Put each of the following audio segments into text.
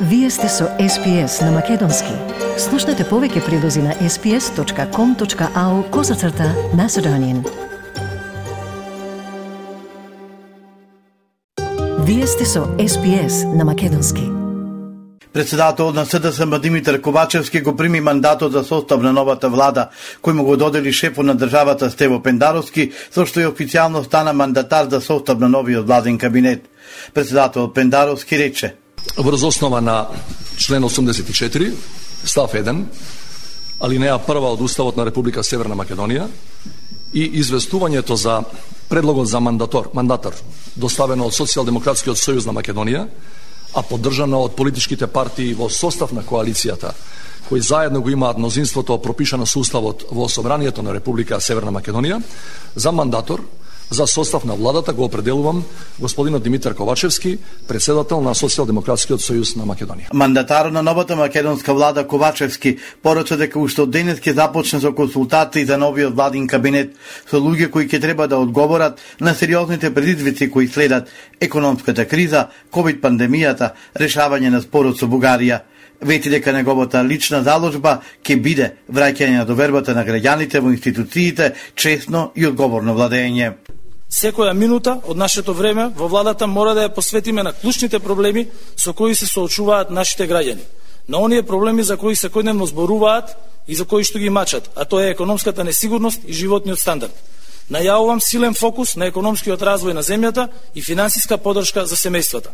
Вие сте со SPS на Македонски. Слушнете повеќе прилози на sps.com.au/Macedonian. Вие сте со SPS на Македонски. Председателот на СДСМ Димитар Ковачевски го прими мандатот за состав на новата влада, кој му го додели шефот на државата Стево Пендаровски, со што и официјално стана мандатар за состав на новиот владен кабинет. Председателот Пендаровски рече: Врз основа на член 84, став 1, алинеја 1 од Уставот на Република Северна Македонија и известувањето за предлогот за мандатар, доставено од Социјалдемократскиот сојуз на Македонија, а поддржано од политичките партии во состав на коалицијата, кои заедно го имаат мнозинството пропишано со Уставот во Собранието на Република Северна Македонија, за мандатор за состав на владата го определувам господинот Димитар Ковачевски, председател на Социјалдемократскиот сојуз на Македонија. Мандатарот на новата македонска влада Ковачевски порача дека уште од денес ќе започне со консултации за новиот владин кабинет со луѓе кои ќе треба да одговорат на сериозните предизвици кои следат: економската криза, ковид пандемијата, решавање на спорот со Бугарија. Вети дека неговата лична заложба ќе биде враќање на довербата на граѓаните во институциите, честно и одговорно владење. Секоја минута од нашето време во владата мора да ја посветиме на клучните проблеми со кои се соочуваат нашите граѓани. На оние проблеми за кои секојдневно зборуваат и за кои што ги мачат, а тоа е економската несигурност и животниот стандард. Најавувам силен фокус на економскиот развој на земјата и финансиска поддршка за семејствата.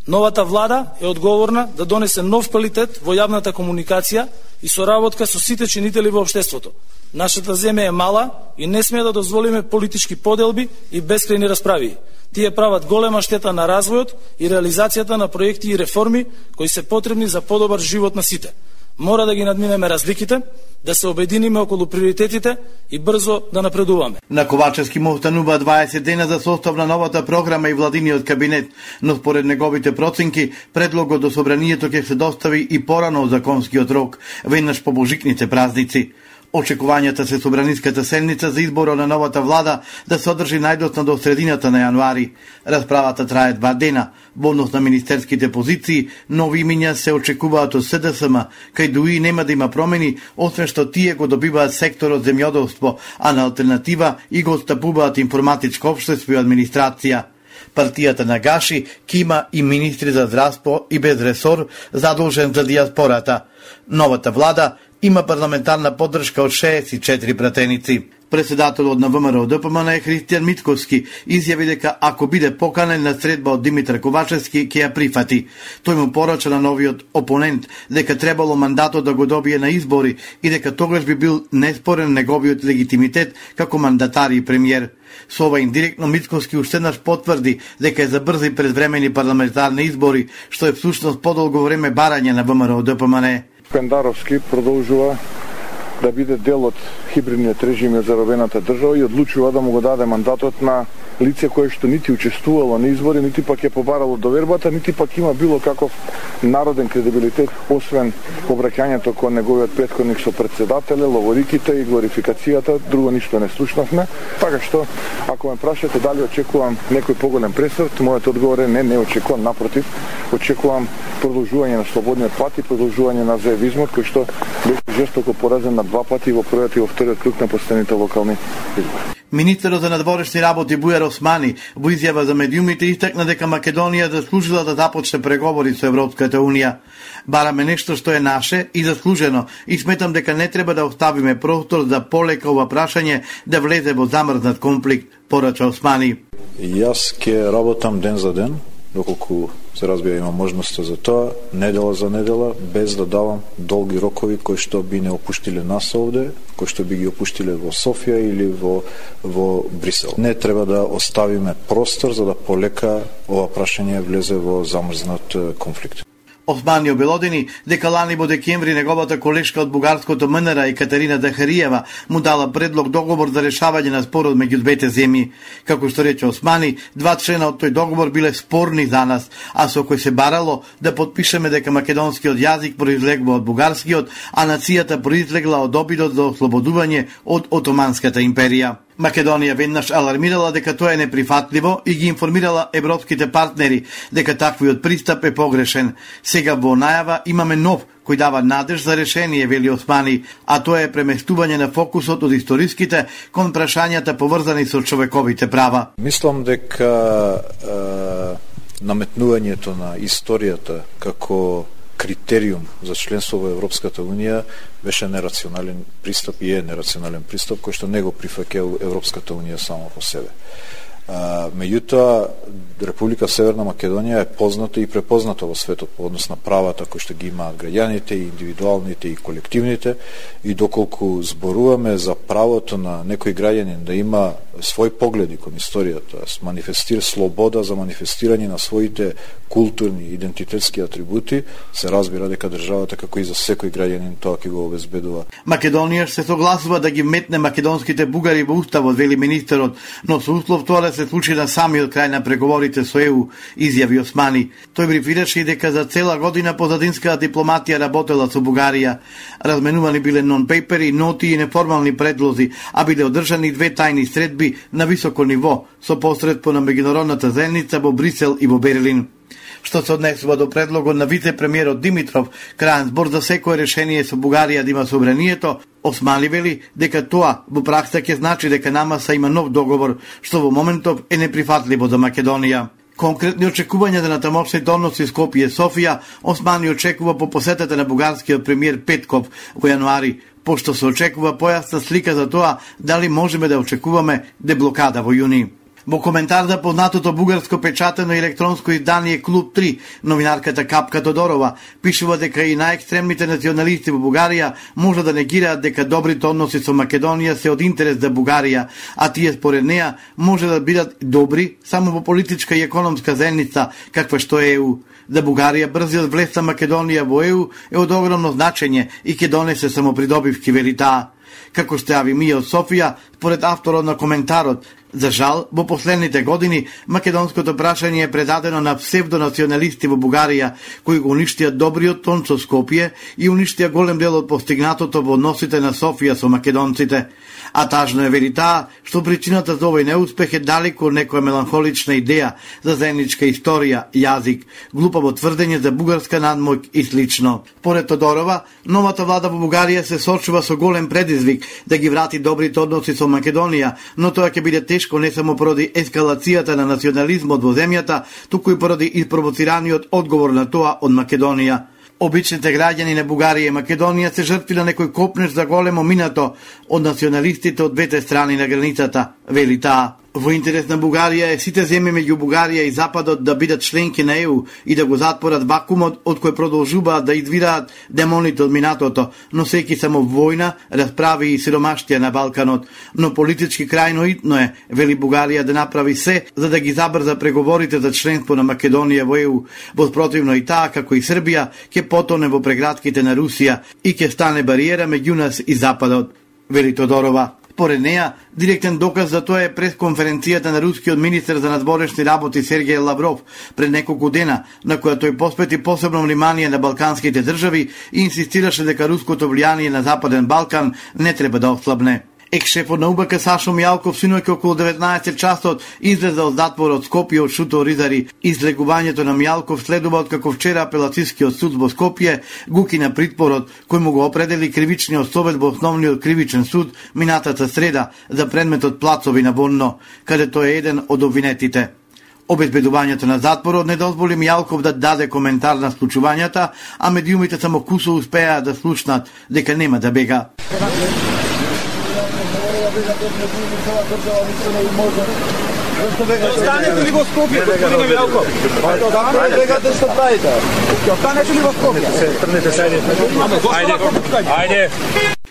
Новата влада е одговорна да донесе нов квалитет во јавната комуникација и соработка со сите чинители во општеството. Нашата земја е мала и не смее да дозволиме политички поделби и бескрајни расправи. Тие прават голема штета на развојот и реализацијата на проекти и реформи кои се потребни за подобар живот на сите. Мора да ги надминеме разликите, да се обединиме околу приоритетите и брзо да напредуваме. На Ковачевски му останува 20 дена за состав на новата програма и владиниот кабинет, но според неговите проценки, предлогот до собранието ќе се достави и порано од законскиот рок, веднаш по божикните празници. Очекувањата се собраниската седница за изборот на новата влада да се одржи најдоцна до средината на јануари. Расправата трае 2 дена. Во однос на министерските позиции, нови имиња се очекуваат од СДСМ, кај дуи нема да има промени, освен што тие го добиваат секторот земјоделство, а на алтернатива и го отстапуваат информатичко општество и администрација. Партијата на Гаши ќе има и министри за здравство и без ресор задолжен за дијаспората. Новата влада има парламентарна поддршка од 64 пратеници. Председателот на ВМРО ДПМН Христијан Митковски изјави дека ако биде поканен на средба од Димитар Ковачевски, ќе ја прифати. Тој му порача на новиот опонент дека требало мандатот да го добие на избори и дека тогаш би бил неспорен неговиот легитимитет како мандатар и премиер. Со ова индиректно Митковски уште еднаш потврди дека е за брзи предвремени парламентарни избори, што е всушност подолго време барање на ВМРО ДПМН. Пендаровски продолжува да биде дел од хибридниот режим за заробената држава и одлучува да му го даде мандатот на лице кое што нити учествувало на избори, нити пак е побарало довербата, нити пак има било каков народен кредибилитет, освен обраќањето кон неговиот претходник со председателе, ловориките и глорификацијата, друго ништо не слушнавме. Така што, ако ме прашате дали очекувам некој поголем пресрт, мојот одговор е не очекувам, напротив, очекувам продолжување на слободниот пат и продолжување на заевизмот, кој што беше жестоко поразен на 2 пати во првиот и во вториот круг на последните локални избори. Министерот за надворешни работи Бујар Османи во изјава за медиумите истакна дека Македонија заслужила да започне преговори со Европската унија. Бараме нешто што е наше и заслужено и сметам дека не треба да оставиме простор за полека ова прашање да влезе во замрзнат конфликт, порача Османи. Јас ќе работам ден за ден, доколку се разбира има можноста за тоа, недела за недела, без да давам долги рокови кои што би не опуштиле нас овде, кои што би ги опуштиле во Софија или во Брисел. Не треба да оставиме простор за да полека ова прашање влезе во замрзнат конфликт. Османи обелодени дека лани во декември неговата колешка од бугарското МНР Екатерина Захариева му дала предлог договор за решавање на спорот меѓу двете земји. Како што рече Османи, 2 члена од тој договор биле спорни за нас, а со кој се барало да подпишеме дека македонскиот јазик произлегува од бугарскиот, а нацијата произлегла од обидот за ослободување од Отоманската империја. Македонија веднаш алармирала дека тоа е неприфатливо и ги информирала европските партнери дека таквиот пристап е погрешен. Сега во најава имаме нов кој дава надеж за решение, вели Османи, а тоа е преместување на фокусот од историските кон прашањата поврзани со човековите права. Мислам дека наметнувањето на историјата како критериум за членство во Европската Унија беше нерационален пристап и е нерационален пристап кој што не го прифаќа Европската Унија само по себе. Меѓутоа, Република Северна Македонија е позната и препозната во светот по однос на правата кои што ги имаат граѓаните, и индивидуалните и колективните, и доколку зборуваме за правото на некој граѓанин да има свој погледи кон историјата, манифестира слобода за манифестирање на своите културни и идентитетски атрибути, се разбира дека државата како и за секој граѓанин тоа ќе го обезбедува. Македонија се согласува да ги метне македонските бугари во уставот, вели министерот, но со услов тоа да се случи на самиот крај на преговорите со ЕУ, изјави Османи. Тој брифираше и дека за цела година позадинската дипломатија работела со Бугарија. Разменувани биле нон-пейпери, ноти и неформални предлози, а биле одржани две тајни средби на високо ниво со посредство на меѓународната заедница во Брисел и во Берлин. Што се однесува до предлогот на вице-премиерот Димитров, крајен збор за секое решение со Бугарија да има собранието, Османи вели дека тоа во пракса ќе значи дека намаса има нов договор, што во моментов е неприфатливо за Македонија. Конкретни очекувања за тамошните односи Скопје и Софија, Османи очекува по посетата на бугарскиот премиер Петков во јануари, пошто се очекува појасна слика за тоа дали можеме да очекуваме деблокада во јуни. Во коментар за познатото бугарско печатено електронско издание Клуб 3, новинарката Капка Тодорова пишува дека и најекстремните националисти во Бугарија може да негираат дека добрите односи со Македонија се од интерес за Бугарија, а тие според неа може да бидат добри само во политичка и економска заедница каква што е ЕУ. За Бугарија брзиот влез на Македонија во ЕУ е од огромно значење и ќе донесе само придобивки, вели таа. Како што јави Мија од Софија, според авторот на коментарот, за жал, во последните години македонското прашање е предадено на псевдонационалисти во Бугарија, кои го уништија добриот тон со Скопје и уништија голем дел од постигнатото во односите на Софија со македонците. А тажно е, вели таа, што причината за овој неуспех е далеку од некоја меланхолична идеја за заедничка историја, јазик, глупаво тврдење за бугарска надмоќ и слично. Поред Тодорова, новата влада во Бугарија се сочува со голем предизвик да ги врати добрите односи со Македонија, но тоа ќе биде тешко не само поради ескалацијата на национализмот во земјата, туку и поради испровоцираниот одговор на тоа од Македонија. Обичните граѓани на Бугарија и Македонија се жртви на некој копнеш за големо минато од националистите од двете страни на границата, вели таа. Во интерес на Бугарија е сите земји меѓу Бугарија и Западот да бидат членки на ЕУ и да го затворат вакуумот од кој продолжуваат да извираат демоните од минатото, но секи само војна, расправи и сиромаштија на Балканот. Но политички крајно итно е, вели Бугарија, да направи се за да ги забрза преговорите за членство на Македонија во ЕУ. Во спротивно и таа, како и Србија, ќе потоне во прегратките на Русија и ќе стане бариера меѓу нас и Западот, вели Тодорова. Според неа, директен доказ за тоа е пресконференцијата на рускиот министер за надворешни работи Сергеј Лавров пред неколку дена, на која тој посвети посебно внимание на балканските држави и инсистираше дека руското влијание на Западен Балкан не треба да ослабне. Екс-шефот на УБК Сашо Мијалков синоќ околу 19 часот излезе од затворот Скопје од Шуто Ризари. Излегувањето на Мијалков следува откако вчера апелацискиот суд во Скопје го укина притворот кој му го определи кривичниот совет во основниот кривичен суд минатата среда за предметот Плацови на Вонно, каде тој е еден од обвинетите. Обезбедувањето на затворот не дозволи Мијалков да даде коментар на случувањата, а медиумите само кусо успеа да слушнат дека нема да бега. Останете ли во Скопје, господин Мијалков? Бегате што правите? Останете ли во Скопје? Трнете се. Ајде.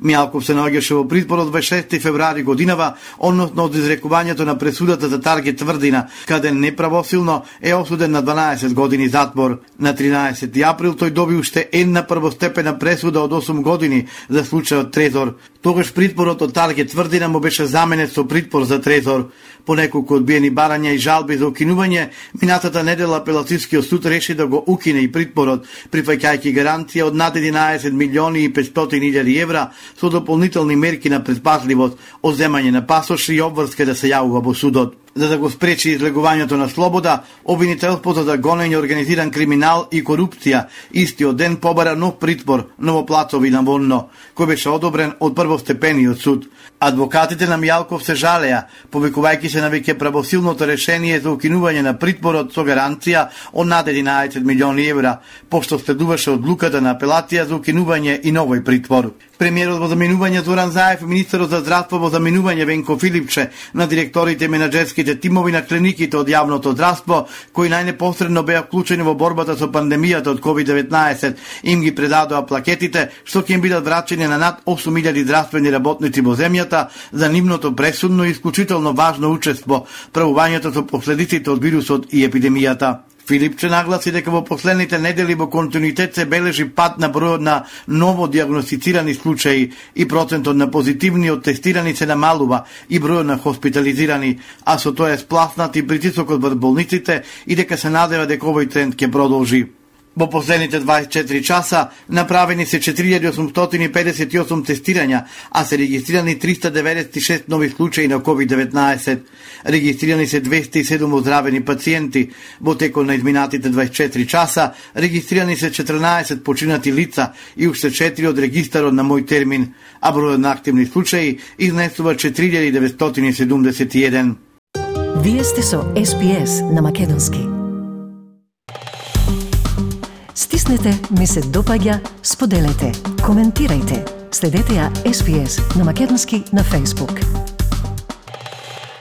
Мијалков се наоѓаше во притвор од 26 февруари годинава, односно од изрекувањето на пресудата за Тарге Тврдина, каде неправосилно е осуден на 12 години затвор. На 13 април тој доби уште една првостепена пресуда од 8 години за случајот Трезор. Тогаш притворот од Тарге Тврдина му беше заменет со притвор за Трезор. По неколку одбиени барања и жалби за укинување, минатата недела апелацискиот суд реши да го укине и притворот, прифаќајќи гаранција од над 11 милиони и 500 илјади евра со дополнителни мерки на предпазливост, одземање на пасоши и обврска да се јавува во судот. За да го спречи излегувањето на слобода, обвинителството за гонење организиран криминал и корупција истиот ден побара нов притвор Новоплацови на Вонно, кој беше одобрен од првостепениот суд. Адвокатите на Мијалков се жалеа, повикувајќи се на веќе правосилното решение за укинување на притворот со гаранција од над 11 милиони евра, пошто следуваше одлуката на апелација за укинување и новој притвор. Премиерот во заминување Зоран Заев и министерот за здравство во заминување Венко Филипче на директорите и менаџерските тимови на клиниките од јавното здравство, кои најнепосредно беа вклучени во борбата со пандемијата од COVID-19, им ги предадоа плакетите што ќе им бидат врачени на над 8000 здравствени работници во земјата за нивното пресудно и исклучително важно учество, правувањето со последиците од вирусот и епидемијата. Филипче нагласи дека во последните недели во континуитет се бележи пад на бројот на ново диагностицирани случаи и процентот на позитивни од тестирани се намалува и бројот на хоспитализирани, а со тоа е спласнат и притисокот врз болниците и дека се надева дека овој тренд ќе продолжи. Во последните 24 часа направени се 4858 тестирања, а се регистрирани 396 нови случаи на COVID-19. Регистрирани се 207 оздравени пациенти. Во текот на изминатите 24 часа регистрирани се 14 починати лица и уште 4 од регистарот на Мој термин, а бројот на активни случаи изнесува 4971. Вие сте со SPS на Македонски. Стиснете, ми се допаѓа, споделете, коментирајте. Следете ја SPS на Македонски на Facebook.